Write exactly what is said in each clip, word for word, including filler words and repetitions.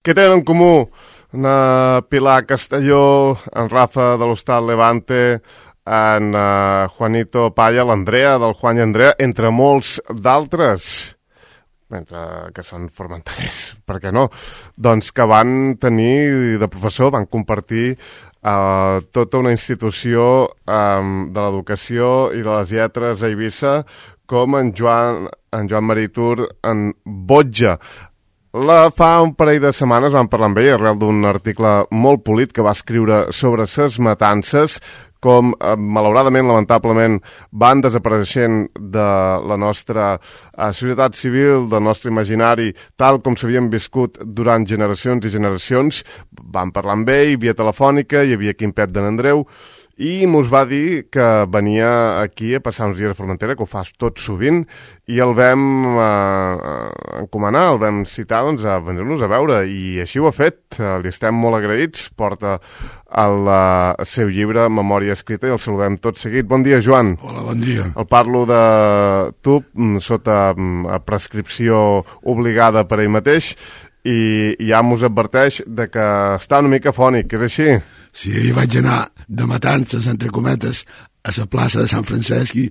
Què tenen en comú na Pilar Castelló, en Rafa de l'Hostal Levante, en uh, Juanito Paya, l'Andrea del Juan i Andrea, entre molts d'altres, entre que són formenterers, per què no? Doncs que van tenir de professor, van compartir uh, tota una institució um, de l'educació i de les lletres a Eivissa, com en Joan, en Joan Maritur, en Botja. La, fa un parell de setmanes vam parlar amb ell arrel d'un article molt polit que va escriure sobre ses matances, com eh, malauradament, lamentablement, van desapareixent de la nostra eh, societat civil, del nostre imaginari, tal com s'havien viscut durant generacions i generacions. Vam parlar amb ell via telefònica, hi havia Quimpet de n'Andreu, i mos va dir que venia aquí a passar uns dies a Formentera, que ho fa tot sovint, i el vam eh, encomanar, el vam citar doncs, a venir-nos a veure, i així ho ha fet. Eh, li estem molt agraïts, porta el eh, seu llibre Memòria escrita i el saludem tot seguit. Bon dia, Joan. Hola, bon dia. El parlo de tu, sota prescripció obligada per ell mateix, i ja mos adverteix de que està una mica fònic, és així? Sí, ahir vaig anar de matances, entre cometes, a la plaça de Sant Francesc i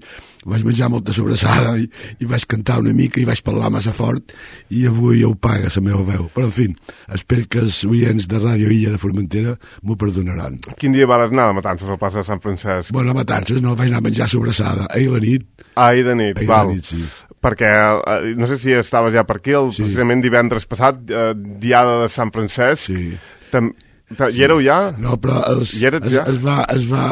vaig menjar molta sobrassada i, i vaig cantar una mica i vaig parlar massa fort i avui ja ho paga la meva veu. Però, en fi, espero que els oients de Ràdio Illa de Formentera m'ho perdonaran. Quin dia vas anar de matances al plaça de Sant Francesc? Bueno, a matances no, vaig anar a menjar sobrassada. Ahir la nit. Ahir de nit, ahir val. De nit, sí. Perquè, eh, no sé si estaves ja per aquí, el, sí. precisament divendres passat, eh, diada de Sant Francesc. Sí. Tam Hi éreu ja? No, però es, ja? es, es, va, es va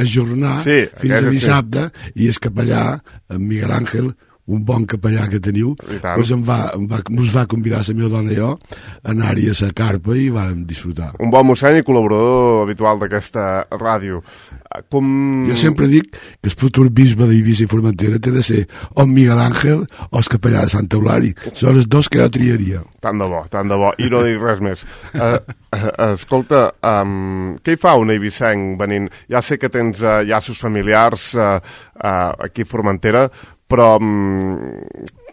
ajornar sí, fins a dissabte sí. I el capellà, en Miguel Ángel, un bon capellà que teniu, doncs em va, em va, ens va convidar la meva dona i jo a anar-hi a la carpa i vam disfrutar. Un bon mossèn i col·laborador habitual d'aquesta ràdio. Com... Jo sempre dic que el futur bisbe d'Eivissa i Formentera té de ser o Miguel Ángel o el capellà de Sant Eulari. Són els dos que jo triaria. Tant de bo, tant de bo. I no dic res més. Uh, uh, escolta, um, què hi fa un eivissenc venint? Ja sé que tens uh, llaços familiars uh, uh, aquí a Formentera, però um,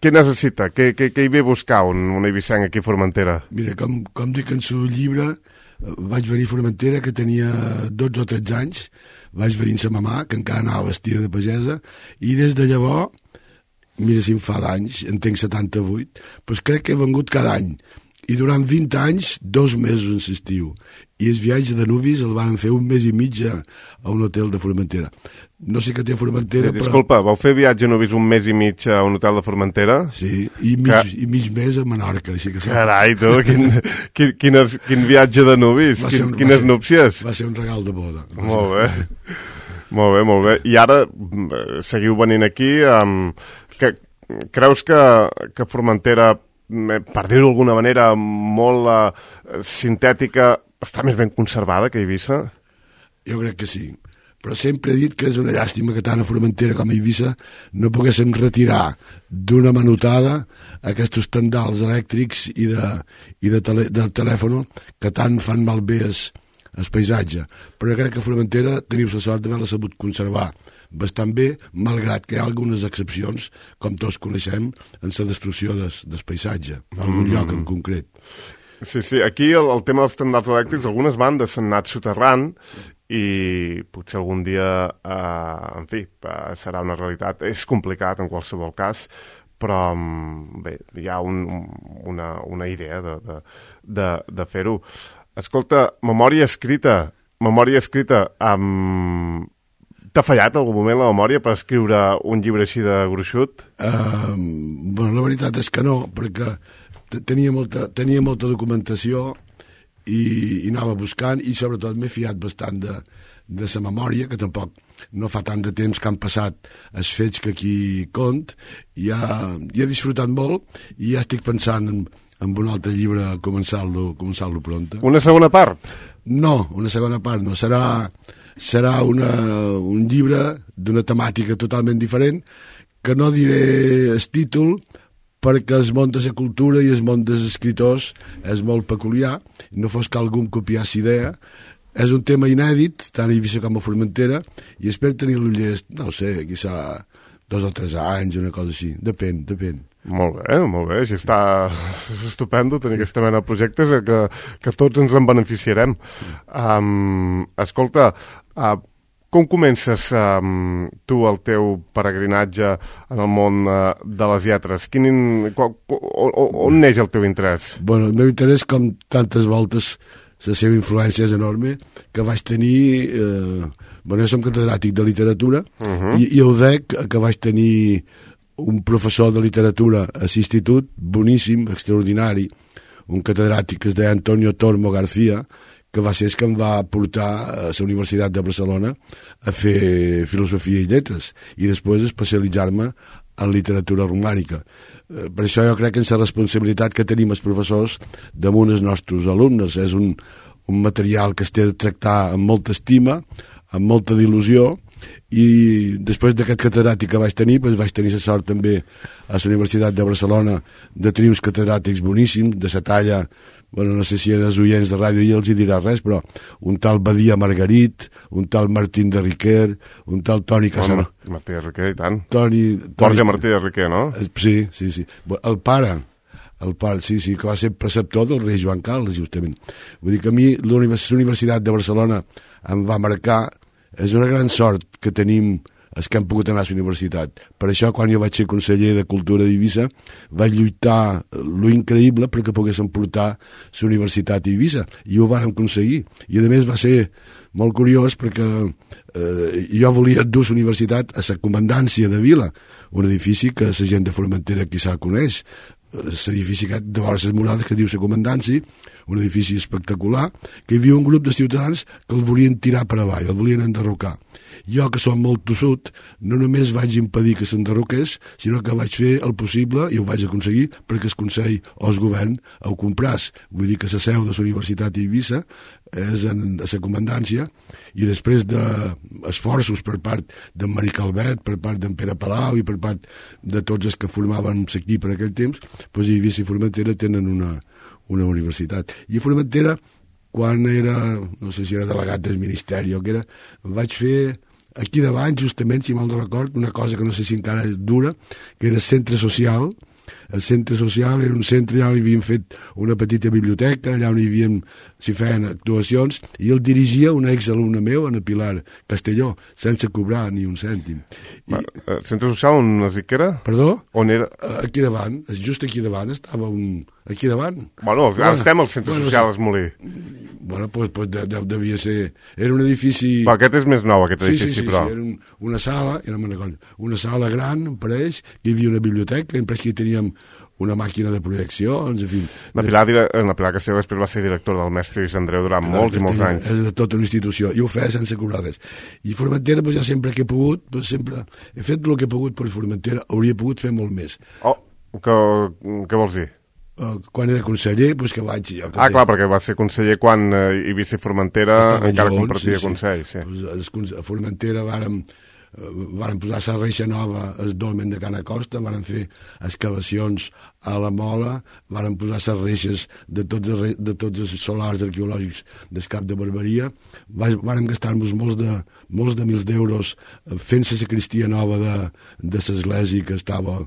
què necessita? Què, què, què hi ve a buscar un, un eivissenc aquí a Formentera? Mira, com, com dic en el llibre, vaig venir a Formentera que tenia dotze o tretze anys, vaig venir amb sa mamà, que encara anava vestida de pagesa, i des de llavors, mira si em fa d'anys, en tinc setanta-vuit, doncs crec que he vengut cada any. I durant vint anys, dos mesos en l'estiu. I el viatge de nuvis el van fer un mes i mig a, a un hotel de Formentera. No sé què té Formentera, sí, disculpa, però... vau fer viatge de nuvis un mes i mig a un hotel de Formentera? Sí, i mig, que... i mig mes a Menorca. Així que carai, tu, quin, quin, quin, quin viatge de nuvis, quin, un, quines ser, núpcies. Va ser un regal de boda. Molt bé, molt bé, molt bé. I ara seguiu venint aquí. Um, que, creus que, que Formentera, per dir-ho d'alguna manera molt uh, sintètica, està més ben conservada que Eivissa? Jo crec que sí, però sempre he dit que és una llàstima que tant a Formentera com a Eivissa no poguéssim retirar d'una manotada aquests tendals elèctrics i de, i de, tele, de telèfon que tant fan malbé el, el paisatge. Però crec que a Formentera teniu la sort d'haver-la sabut conservar bastant bé, malgrat que hi ha algunes excepcions, com tots coneixem, en la destrucció des, del paisatge, en algun mm. lloc en concret. Sí, sí, aquí el, el tema dels tendals elèctrics, algunes bandes s'han anat soterrant i potser algun dia, eh, en fi, eh, serà una realitat. És complicat en qualsevol cas, però bé, hi ha un, una, una idea de, de, de, de fer-ho. Escolta, memòria escrita, memòria escrita amb... T'ha fallat en algun moment la memòria per escriure un llibre així de gruixut? Uh, bueno, la veritat és que no, perquè tenia molta, tenia molta documentació i, i anava buscant i sobretot m'he fiat bastant de, de la memòria, que tampoc no fa tant de temps que han passat els fets que aquí cont, i ja, ja he disfrutat molt i ja estic pensant en, en un altre llibre començar-lo començar-lo pronta. Una segona part? No, una segona part no, serà... serà una, un llibre d'una temàtica totalment diferent, que no diré el títol perquè el món de la cultura i el món dels escriptors és molt peculiar, no fos que algú em copiés idea. És un tema inèdit, tant a Eivissa com a Formentera, i espero tenir-lo llest, no ho sé, quizà dos o tres anys, una cosa així, depèn, depèn. Molt bé, molt bé, així està, és estupendo tenir aquesta mena de projectes que, que tots ens en beneficiarem. Um, escolta, uh, com comences um, tu el teu peregrinatge en el món uh, de les lletres? Quin, on, on neix el teu interès? Bueno, el meu interès, com tantes voltes, la seva influència és enorme, que vaig tenir... Eh, bueno, jo som catedràtic de literatura, uh-huh. i, i el D E C, que vaig tenir un professor de literatura a l'institut, boníssim, extraordinari, un catedràtic que es deia Antonio Tormo García, que va ser el que em va portar a la Universitat de Barcelona a fer filosofia i lletres, i després especialitzar-me en literatura romànica. Per això jo crec que és la responsabilitat que tenim els professors damunt els nostres alumnes. És un, un material que es té de tractar amb molta estima, amb molta il·lusió, i després d'aquest catedràtic que vaig tenir, doncs vaig tenir la sort també a la Universitat de Barcelona de tenir uns catedràtics boníssims, de la talla, bueno, no sé si eren els oients de ràdio i els hi dirà res, però un tal Badia Margarit, un tal Martín de Riquer, un tal Toni Casanova. Oh, Martí de Riquer, i tant. Toni, Borja Toni... Martí de Riquer, no? Sí, sí, sí. El pare, el pare, sí, sí, que va ser preceptor del rei Joan Carles, justament. Vull dir que a mi la Universitat de Barcelona em va marcar. És una gran sort que tenim els que hem pogut anar a la universitat. Per això, quan jo vaig ser conseller de Cultura d'Eivissa, vaig lluitar lo increïble perquè poguéssim portar la universitat a Eivissa, i ho vàrem aconseguir. I a més va ser molt curiós perquè eh, jo volia dur la universitat a la comandància de Vila, un edifici que la gent de Formentera quizà coneix, l'edifici de vora les murades que diu la comandància, un edifici espectacular, que hi havia un grup de ciutadans que el volien tirar per avall, el volien enderrocar. Jo, que som molt tossut, no només vaig impedir que s'enderroqués, sinó que vaig fer el possible, i ho vaig aconseguir, perquè el Consell o el govern ho compràs. Vull dir que la seu de la Universitat d'Eivissa és en, a la comandància, i després d'esforços per part d'en Mari Calvet, per part d'en Pere Palau i per part de tots els que formaven l'equip en aquell temps, doncs Eivissa i Formentera tenen una, una universitat. I a Formentera, quan era, no sé si era delegat del Ministeri o què era, vaig fer aquí davant, justament, si mal no record, una cosa que no sé si encara és dura, que era el centre social. El centre social era un centre, allà on hi havien fet una petita biblioteca, allà on hi havien, s'hi feien actuacions, i el dirigia un exalumne meu, en el Pilar Castelló, sense cobrar ni un cèntim. I... El centre social on es dic que era? Perdó? On era? Aquí davant, just aquí davant, estava un... Aquí davant. Bueno, ara bueno, estem al centre bueno, social Esmolí. Bueno, pues, pues de, de, devia ser... Era un edifici... Però aquest és més nou, aquest edifici, sí, sí, sí, però... Sí, era un, una sala, ja no me'n recordo, una sala gran, em pareix, que hi havia una biblioteca, em pareix que hi teníem una màquina de projeccions, en fi... La Pilar, la Pilar Castelló després va ser director del Mestre Lluís Andreu durant Pilar molts Castelló, i molts anys. És de tota una institució, i ho feia sense cobrar res. I Formentera, pues, jo sempre que he pogut, pues, sempre he fet el que he pogut per Formentera, hauria pogut fer molt més. Oh, que, què vols dir? Uh, quan era conseller, doncs que vaig... Jo, que ah, sé, clar, perquè va ser conseller quan eh, Eivissa i Formentera encara junts, compartia sí, consell. Sí. Sí. Pues, a Formentera vàrem, uh, vàrem posar la reixa nova al dolmen de Cana Costa, vàrem fer excavacions a la Mola, vàrem posar les reixes de tots, els, de tots els solars arqueològics del Cap de Barberia, vàrem gastar-nos molts de, molts de mils d'euros fent la sacristia nova de, de l'església que estava...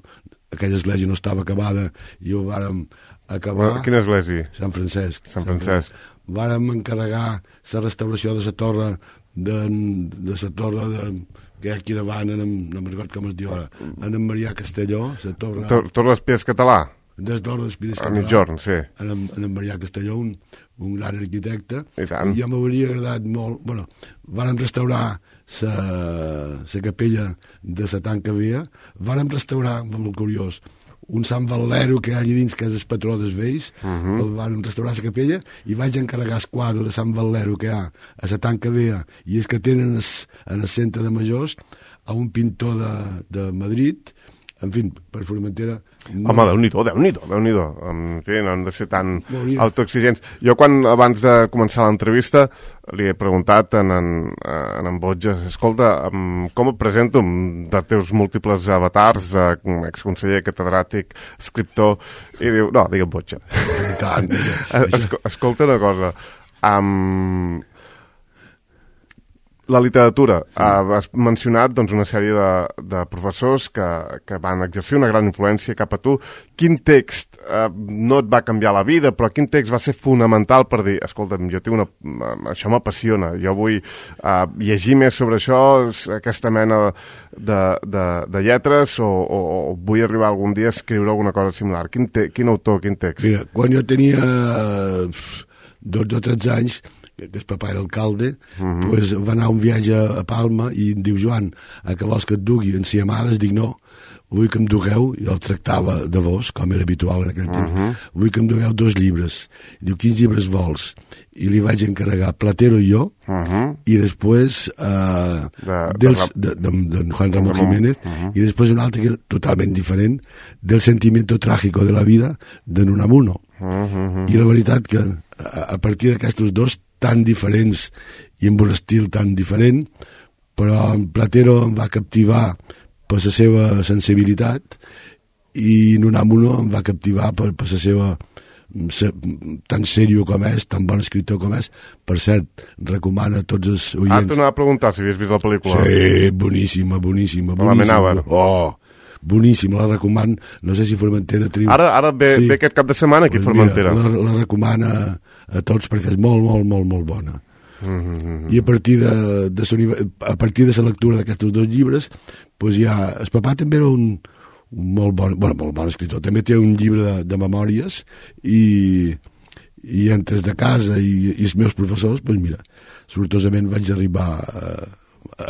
aquella església no estava acabada i ho vàrem acabar. Quina església? Sant Francesc. Sant Francesc. Vàrem encarregar la restauració de la torre de, de la torre de, que hi ha aquí davant, en, no me'n recordo com es diu ara, en en Marià Castelló, la torre... Tor Torre d'Espies Català? Des d'Hora d'Espies Català. A mitjorn, sí. En, en en Marià Castelló, un, un gran arquitecte. I tant. I jo m'hauria agradat molt... Bueno, vàrem restaurar la capella de la tanca via, vàrem restaurar, molt curiós, un Sant Valero que hi ha allà dins, que és el patró dels vells, uh -huh. el vàrem restaurar la capella, i vaig encarregar el quadre de Sant Valero que hi ha a la tanca via, i és que tenen es, en el centre de Majors, a un pintor de, de Madrid, en fi, per Formentera... No... Home, Déu-n'hi-do, Déu-n'hi-do, Déu-n'hi-do. En fi, no han de ser tan autoexigents. Jo, quan, abans de començar l'entrevista, li he preguntat en en, en, en Botja, escolta, com et presento de teus múltiples avatars, exconseller, catedràtic, escriptor, i diu, no, digue'm Botja. Tant. Es, escolta una cosa, um, La literatura. Sí. Uh, has mencionat doncs, una sèrie de, de professors que, que van exercir una gran influència cap a tu. Quin text uh, no et va canviar la vida, però quin text va ser fonamental per dir, escolta'm, jo tinc una, això m'apassiona, jo vull uh, llegir més sobre això, aquesta mena de, de, de lletres, o, o, o vull arribar algun dia a escriure alguna cosa similar. Quin, te, quin autor, quin text? Mira, quan jo tenia dotze o tretze anys, que el papà era alcalde, uh -huh. pues va anar a un viatge a Palma i em diu, Joan, a què vols que et dugui? En si amades, dic, no, vull que em dugueu, i el tractava de vos, com era habitual en aquell temps, uh -huh. vull que em dugueu dos llibres. I diu, quins llibres vols? I li vaig encarregar Platero i jo, uh -huh. i després uh, de, dels, de, de, de, de Juan Ramón Jiménez, uh -huh. i després un altre que era totalment diferent, del sentimiento trágico de la vida, de Nunamuno. Uh -huh. I la veritat que a, a partir d'aquests dos tan diferents i amb un estil tan diferent, però en Platero em va captivar per la seva sensibilitat i Nunamuno em va captivar per, per la seva se, tan seriós com és, tan bon escriptor com és. Per cert, recomana a tots els oients. Ah, t'anava a preguntar si havies vist la pel·lícula. Sí, boníssima, boníssima, boníssima. Oh, boníssim, la recomano. No sé si Formentera triu... Ara, ara ve, sí. ve aquest cap de setmana aquí a Formentera. Mira, la, la recomana a tots perquè és molt, molt, molt, molt bona. Mm-hmm. I a partir de, de a partir de la lectura d'aquests dos llibres, pues ja, el papà també era un, un molt bon, bueno, molt bon escriptor, també té un llibre de, de memòries i, i entre de casa i, i els meus professors, pues mira, sortosament vaig arribar a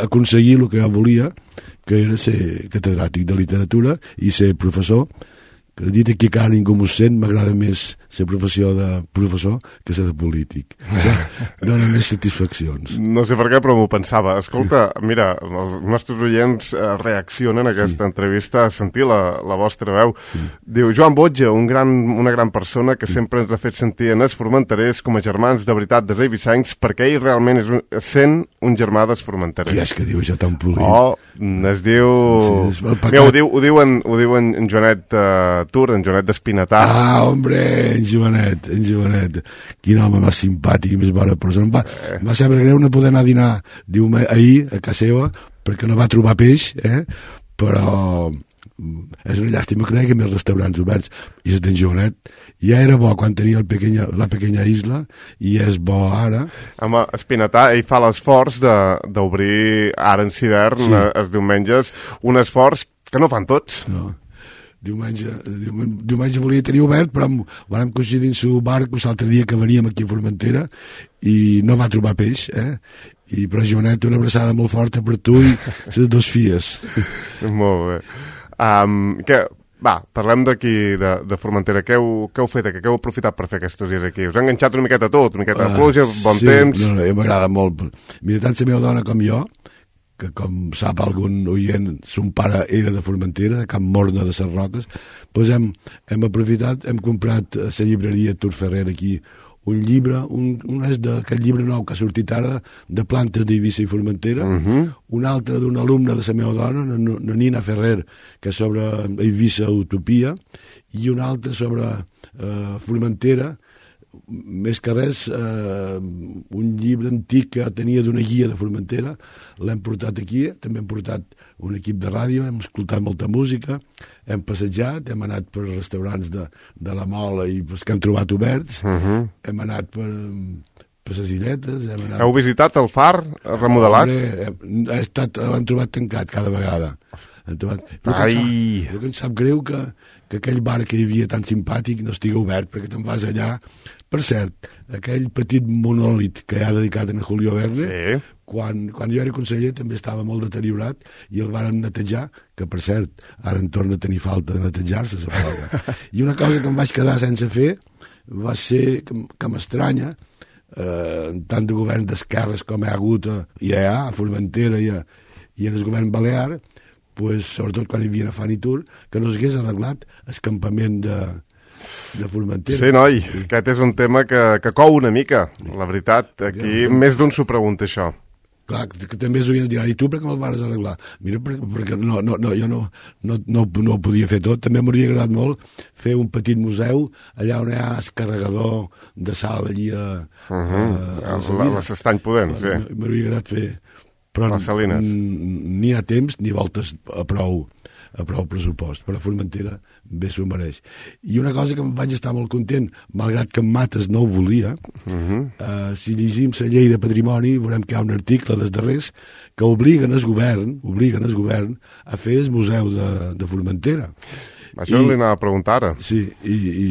aconseguir el que jo volia, que era ser catedràtic de literatura i ser professor. Que dit aquí que ara ningú m'ho sent, m'agrada més ser professió de professor que ser de polític. Dóna més satisfaccions. No sé per què, però m'ho pensava. Escolta, mira, els nostres oients reaccionen a aquesta sí. entrevista a sentir la, la vostra veu. Sí. Diu, Joan Botja, un gran, una gran persona que sí. sempre ens ha fet sentir en els formenterers com a germans de veritat des eivissencs, perquè ell realment és un, sent un germà dels formenterers. Qui és que diu això tan polit? Oh, es diu... Sí, és mira, ho, diu ho diuen, ho diuen en Joanet... Uh, Tour, en Joanet d'Espinatà. Ah, hombre, en Joanet, en Joanet. Quin home més simpàtic i més bona persona. Em va, eh. va saber greu no poder anar a dinar diu, ahir a casa seva perquè no va trobar peix, eh? Però és una llàstima que no hi hagi més restaurants oberts. I és d'en Joanet. Ja era bo quan tenia el pequeña, la pequeña isla i és bo ara. Home, Espinatà, ell fa l'esforç d'obrir ara en hivern, sí. els diumenges, un esforç que no fan tots. No. Diumenge, diumenge, diumenge volia tenir obert, però vam coincidir en su barco l'altre dia que veníem aquí a Formentera i no va trobar peix, eh? I però Joanet, una abraçada molt forta per tu i les dos filles. Molt bé. Um, que, va, parlem d'aquí, de, de Formentera. Què heu, què heu fet aquí? Què heu aprofitat per fer aquests dies aquí? Us ha enganxat una miqueta tot, una miqueta de pluja, bon sí, temps... No, no, m'agrada molt. Mira, tant la meva dona com jo, que com sap algun oient, son pare era de Formentera, de Camp Morna de les Roques, doncs hem, hem aprofitat, hem comprat a la llibreria Tur Ferrer aquí un llibre, un, un és d'aquest llibre nou que ha sortit ara, de plantes d'Eivissa i Formentera, uh -huh. un altre d'un alumne de la meva dona, la Nina Ferrer, que és sobre Eivissa Utopia, i un altre sobre eh, Formentera, més que res, eh, un llibre antic que tenia d'una guia de Formentera, l'hem portat aquí, també hem portat un equip de ràdio, hem escoltat molta música, hem passejat, hem anat per restaurants de, de la Mola i els que hem trobat oberts, uh -huh. hem anat per, per les illetes... Hem anat... Heu visitat el far remodelat? Hem, hem, estat, l'hem trobat tancat cada vegada. Hem trobat... Ai! Jo que em sap greu que, que aquell bar que hi havia tan simpàtic no estigui obert, perquè te'n vas allà. Per cert, aquell petit monòlit que hi ha dedicat a Julio Verne, sí. quan, quan jo era conseller també estava molt deteriorat i el varen netejar, que per cert, ara en torna a tenir falta de netejar-se. I una cosa que em vaig quedar sense fer va ser que, que m'estranya, eh, tant de govern d'esquerres com hi ha hagut a, hi ha a Formentera i, a, i en el govern balear, pues, sobretot quan hi havia a Fanitur, que no s'hagués arreglat el campament de de Formentera. Sí, noi, aquest és un tema que, que cou una mica, la veritat. Aquí ja, més d'un s'ho pregunta, això. Clar, que, que també els oients diran, i tu per què me'l vas arreglar? Mira, perquè, perquè no, no, no, jo no, no, no, no ho podia fer tot. També m'hauria agradat molt fer un petit museu allà on hi ha el carregador de sal allí a, uh -huh. a, a, a l'Estany Pudent, sí. M'hauria agradat fer però les Salines. Ni ha temps ni voltes a prou, a prou pressupost, però Formentera bé s'ho mereix. I una cosa que em vaig estar molt content, malgrat que en Mates no ho volia, uh-huh. eh, si llegim la llei de patrimoni veurem que hi ha un article dels darrers que obliguen el govern, obliguen el govern a fer el museu de, de Formentera. Això I, li anava a preguntar ara. Sí, i, i,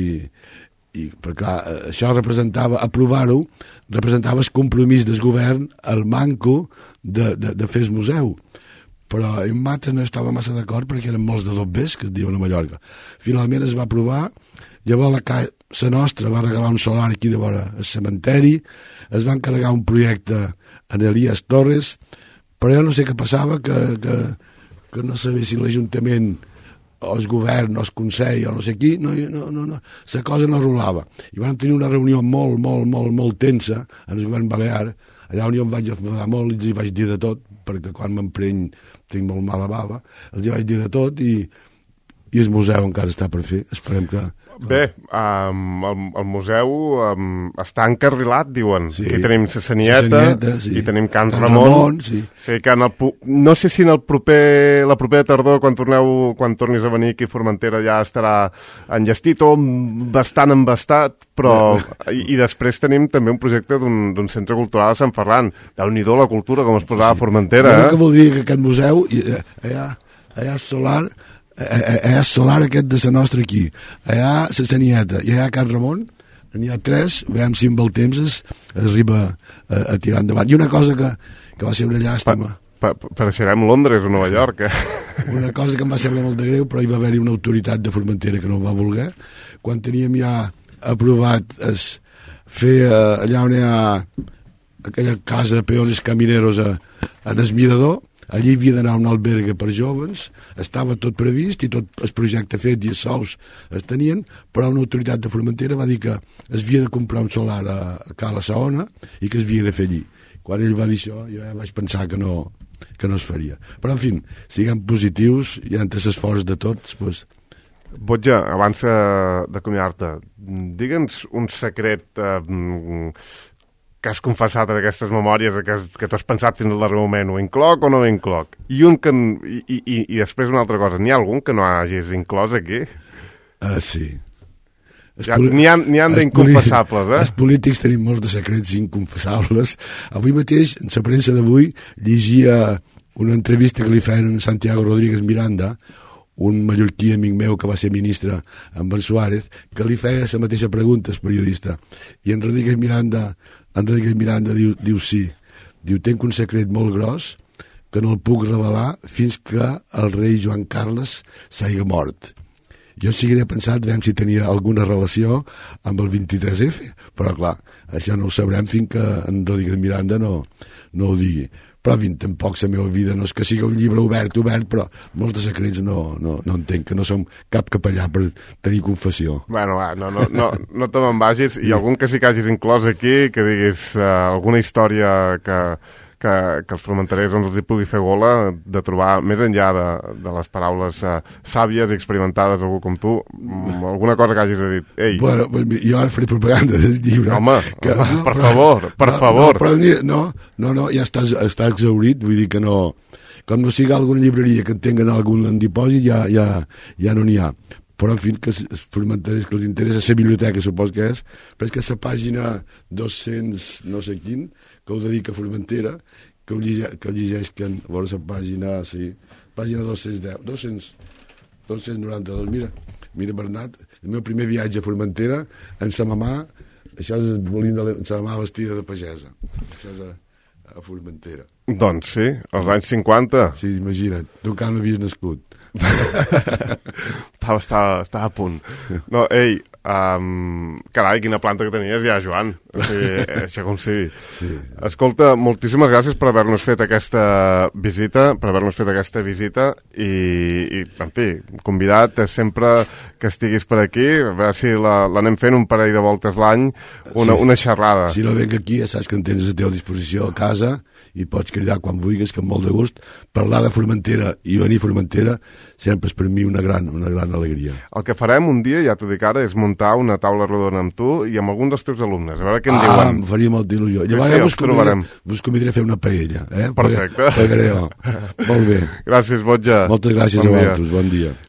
i perquè clar, això representava, aprovar-ho, representava el compromís del govern, el manco de, de, de fer el museu. Però en Mates no estava massa d'acord perquè eren molts de dobbers, que es diuen a Mallorca. Finalment es va aprovar, llavors la, ca... la nostra va regalar un solar aquí de vora el cementeri, es va encarregar un projecte en Elias Torres, però jo no sé què passava, que, que, que no sabia si l'Ajuntament o el govern o el Consell o no sé qui, no, no, no, no, la cosa no rolava. I vam tenir una reunió molt, molt, molt, molt tensa en el govern balear, allà on jo em vaig enfadar molt i els hi vaig dir de tot, perquè quan m'empreny tinc molt mala bava, els hi vaig dir de tot i, i el museu encara està per fer, esperem que... Bé, um, el, el museu um, està encarrilat, diuen. Sí. Aquí tenim la Sanieta, sí. I tenim Can, Can Ramon. Ramon sí. Sí, que en el, no sé si en el proper, la propera tardor, quan torneu, quan tornis a venir aquí a Formentera, ja estarà enllestit o bastant embastat, però... I, i després tenim també un projecte d'un centre cultural a Sant Ferran. Déu-n'hi-do la cultura, com es posava sí. a Formentera. Jo eh? que vol dir que aquest museu, allà, allà solar... hi ha solar aquest de la nostra aquí, hi ha la Sanieta i hi ha Can Ramon, n'hi ha tres, veiem si amb el temps es, es arriba a, a tirar endavant. I una cosa que, que va ser una llàstima, pa, pa, pareixerem Londres o Nova York, eh? Una cosa que em va semblar molt de greu, però hi va haver-hi una autoritat de Formentera que no ho va voler, quan teníem ja aprovat es fer eh, allà on hi ha aquella casa de peones camineros a, a el Mirador. Allí havia d'anar un albergue per joves, estava tot previst i tot el projecte fet i els sous es tenien, però una autoritat de Formentera va dir que es havia de comprar un solar a, a Cala Saona i que es havia de fer allí. Quan ell va dir això, jo ja vaig pensar que no, que no es faria. Però, en fi, siguem positius i entre l'esforç de tots, doncs... Botja, abans d'acomiadar-te, digue'ns un secret... Eh, que has confessat en aquestes memòries, que, has, que t'has pensat fins al darrer moment, ho incloc o no ho incloc? I, un que, i, i, i després una altra cosa, n'hi ha algun que no hagis inclòs aquí? Uh, sí. Ja, n'hi ha, ha d'inconfessables, eh? Els polítics tenim molts de secrets inconfessables. Avui mateix, en la premsa d'avui, llegia una entrevista que li feien a Santiago Rodríguez Miranda, un mallorquí amic meu que va ser ministre amb en Suárez, que li feia la mateixa pregunta al periodista. I en Rodríguez Miranda... En Rodríguez Miranda diu, diu sí, diu, tenc un secret molt gros que no el puc revelar fins que el rei Joan Carles s'hagi mort. Jo seguiré pensant, veiem si tenia alguna relació amb el vint-i-tres efe, però clar, això no ho sabrem fins que en Rodríguez Miranda no, no ho digui. Però, en tampoc la meva vida no és que sigui un llibre obert, obert, però molts de secrets no, no, no entenc, que no som cap capellà per tenir confessió. Bueno, va, no, no, no, no te me'n vagis. I algun que sí que hagis inclòs aquí, que diguis uh, alguna història que, que, que els formenterers doncs, els hi pugui fer gola de trobar, més enllà de, de les paraules uh, sàvies i experimentades d'algú com tu, alguna cosa que hagis de dir. Ei. Bueno, jo ara faré propaganda del llibre. Home, que, home, per però, favor, per no, favor. No, però, no, no, no, ja està, està exhaurit, vull dir que no... Com no sigui alguna llibreria que en tinguen algun en dipòsit, ja, ja, ja no n'hi ha. Però, en fi, que els formenterers que els interessa, la biblioteca, supos que és, però és que la pàgina dos-cents no sé quin, que ho dedica a Formentera, que ho, llige, que ho llegeixen, a veure la pàgina, sí, pàgina dos-cents deu, dos-cents, dos-cents noranta-dos, mira, mira Bernat, el meu primer viatge a Formentera, en sa mamà, això és volint de la, sa mamà vestida de pagesa, això és a, a Formentera. Doncs sí, als anys cinquanta. Sí, imagina't, tu encara no havies nascut. estava, estava, estava a punt. No, ei, um, carai, quina planta que tenies ja, Joan. O sigui, això com sigui. Sí. Escolta, moltíssimes gràcies per haver-nos fet aquesta visita, per haver-nos fet aquesta visita i, i, en fi, convidat sempre que estiguis per aquí, a veure si l'anem la, fent un parell de voltes l'any, una, sí. una xerrada. Si no venc aquí, ja saps que en tens a la teva disposició a casa i pots cridar quan vulguis, que amb molt de gust. Parlar de Formentera i venir a Formentera sempre és per mi una gran, una gran alegria. El que farem un dia, ja t'ho dic ara, és muntar una taula rodona amb tu i amb alguns dels teus alumnes. A veure què en ah, diuen. Ah, em faria molta il·lusió. Llavors sí, vos, convidaré, vos convidaré a fer una paella. Eh? Perfecte. Pagaré, molt bé. Gràcies, Botja. Moltes gràcies bon a dia. vosaltres, bon dia.